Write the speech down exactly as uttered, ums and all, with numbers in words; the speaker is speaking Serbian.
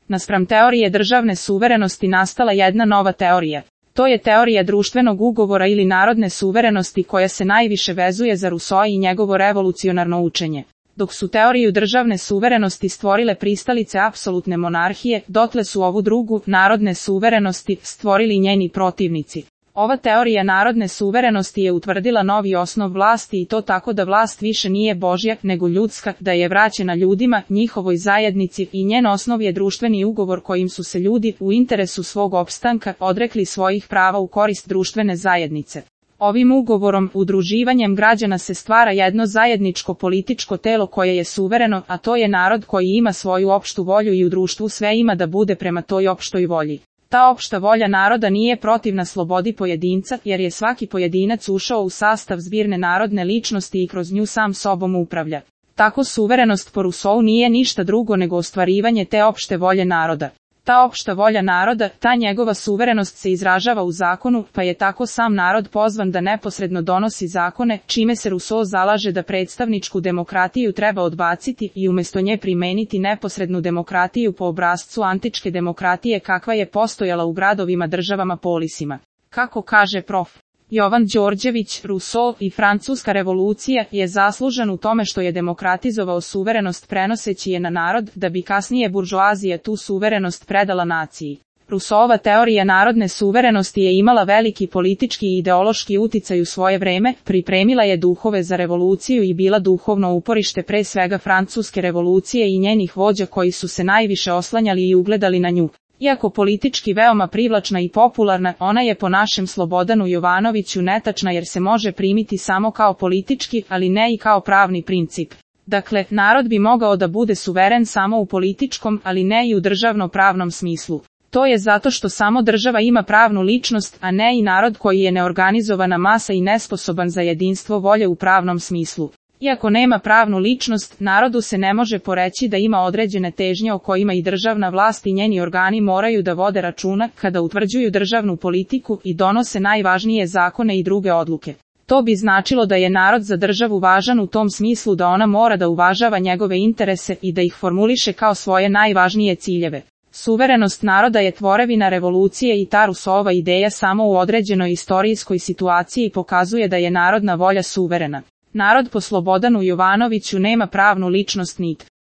Naspram teorije državne suverenosti nastala jedna nova teorija. To je teorija društvenog ugovora ili narodne suverenosti koja se najviše vezuje za Rousseau i njegovo revolucionarno učenje. Dok su teoriju državne suverenosti stvorile pristalice apsolutne monarhije, dotle su ovu drugu, narodne suverenosti, stvorili njeni protivnici. Ova teorija narodne suverenosti je utvrdila novi osnov vlasti i to tako da vlast više nije božja, nego ljudska, da je vraćena ljudima, njihovoj zajednici i njen osnov je društveni ugovor kojim su se ljudi, u interesu svog opstanka, odrekli svojih prava u korist društvene zajednice. Ovim ugovorom, udruživanjem građana se stvara jedno zajedničko političko telo koje je suvereno, a to je narod koji ima svoju opštu volju i u društvu sve ima da bude prema toj opštoj volji. Ta opšta volja naroda nije protivna slobodi pojedinca, jer je svaki pojedinac ušao u sastav zbirne narodne ličnosti i kroz nju sam sobom upravlja. Tako suverenost po Rousseau nije ništa drugo nego ostvarivanje te opšte volje naroda. Ta opšta volja naroda, ta njegova suverenost se izražava u zakonu, pa je tako sam narod pozvan da neposredno donosi zakone, čime se Rousseau zalaže da predstavničku demokratiju treba odbaciti i umjesto nje primeniti neposrednu demokratiju po obrascu antičke demokratije kakva je postojala u gradovima državama polisima. Kako kaže prof. Jovan Đorđević, Rousseau i Francuska revolucija je zaslužan u tome što je demokratizovao suverenost prenoseći je na narod, da bi kasnije buržoazija tu suverenost predala naciji. Rousseauova teorija narodne suverenosti je imala veliki politički i ideološki uticaj u svoje vreme, pripremila je duhove za revoluciju i bila duhovno uporište pre svega Francuske revolucije i njenih vođa koji su se najviše oslanjali i ugledali na nju. Iako politički veoma privlačna i popularna, ona je po našem Slobodanu Jovanoviću netačna jer se može primiti samo kao politički, ali ne i kao pravni princip. Dakle, narod bi mogao da bude suveren samo u političkom, ali ne i u državno-pravnom smislu. To je zato što samo država ima pravnu ličnost, a ne i narod koji je neorganizovana masa i nesposoban za jedinstvo volje u pravnom smislu. Iako nema pravnu ličnost, narodu se ne može poreći da ima određene težnje o kojima i državna vlast i njeni organi moraju da vode računa kada utvrđuju državnu politiku i donose najvažnije zakone i druge odluke. To bi značilo da je narod za državu važan u tom smislu da ona mora da uvažava njegove interese i da ih formuliše kao svoje najvažnije ciljeve. Suverenost naroda je tvorevina revolucije i ta Rousseauova ideja samo u određenoj istorijskoj situaciji pokazuje da je narodna volja suverena. Narod po Slobodanu Jovanoviću nema pravnu ličnost nit